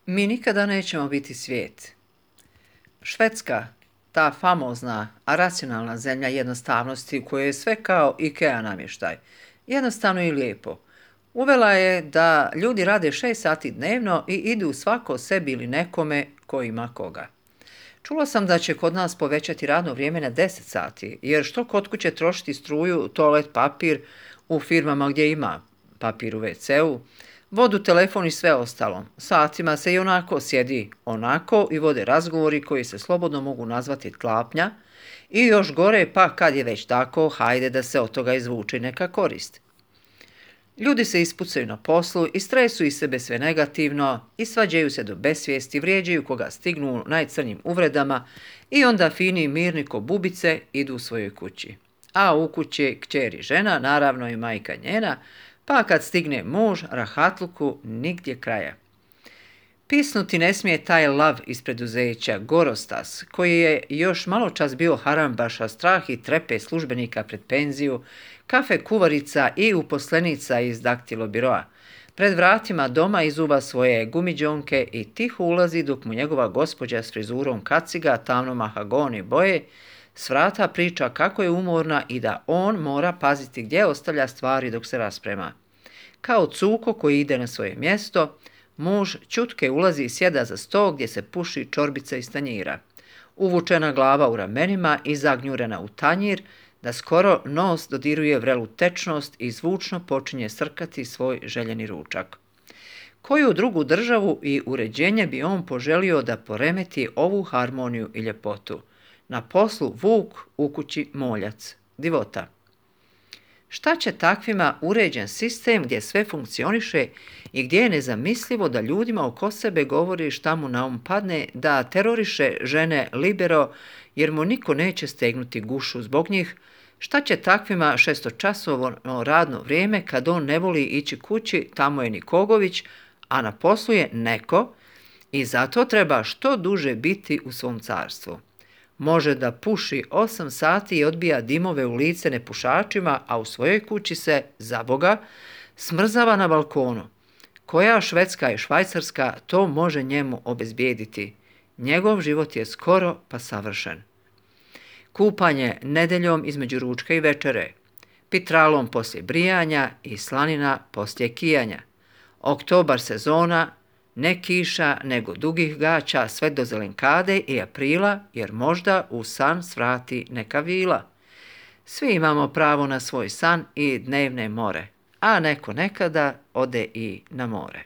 Mi nikada nećemo biti svijet. Švedska, ta famozna, a racionalna zemlja jednostavnosti u kojoj je sve kao IKEA namještaj, jednostavno i lijepo, uvela je da ljudi rade 6 sati dnevno i idu svako sebi ili nekome ko ima koga. Čula sam da će kod nas povećati radno vrijeme na 10 sati, jer što kod kuće trošiti struju, toalet papir u firmama gdje ima papir u WC-u, vodu, telefon i sve ostalo. Satima se i onako sjedi onako i vode razgovori koji se slobodno mogu nazvati tlapnja i još gore, pa kad je već tako, hajde da se od toga izvuče neka korist. Ljudi se ispucaju na poslu i stresuju iz sebe sve negativno i svađaju se do besvijesti, vrijeđaju koga stignu najcrnjim uvredama i onda fini i mirni ko bubice idu u svojoj kući. A u kući kćer i žena, naravno i majka njena, pa kad stigne muž, rahatluku nigdje kraja. Pisnuti ne smije taj lav iz preduzeća, Gorostas, koji je još malo čas bio harambaša, strah i trepe službenika pred penziju, kafe kuvarica i uposlenica iz daktilobiroa. Pred vratima doma izuva svoje gumiđonke i tiho ulazi dok mu njegova gospođa s frizurom kaciga, tamno mahagoni boje, s vrata priča kako je umorna i da on mora paziti gdje ostavlja stvari dok se rasprema. Kao cuko koji ide na svoje mjesto, muž ćutke ulazi i sjeda za sto gdje se puši čorbica iz tanjira. Uvučena glava u ramenima i zagnjurena u tanjir, da skoro nos dodiruje vrelu tečnost i zvučno počinje srkati svoj željeni ručak. Koju drugu državu i uređenje bi on poželio da poremeti ovu harmoniju i ljepotu? Na poslu vuk, u kući moljac, divota. Šta će takvima uređen sistem gdje sve funkcioniše i gdje je nezamislivo da ljudima oko sebe govori šta mu na um padne, da teroriše žene libero jer mu niko neće stegnuti gušu zbog njih? Šta će takvima 6-časovno radno vrijeme kad on ne voli ići kući, tamo je Nikogović, a na poslu je neko i zato treba što duže biti u svom carstvu. Može da puši 8 sati i odbija dimove u lice nepušačima, a u svojoj kući se, za Boga, smrzava na balkonu. Koja Švedska i Švajcarska to može njemu obezbijediti? Njegov život je skoro pa savršen. Kupanje nedeljom između ručka i večere, pitralom poslije brijanja i slanina poslije kijanja. Oktobar sezona, ne kiša, nego dugih gaća sve do zelenkade i aprila, jer možda u san svrati neka vila. Svi imamo pravo na svoj san i dnevne more, a neko nekada ode i na more.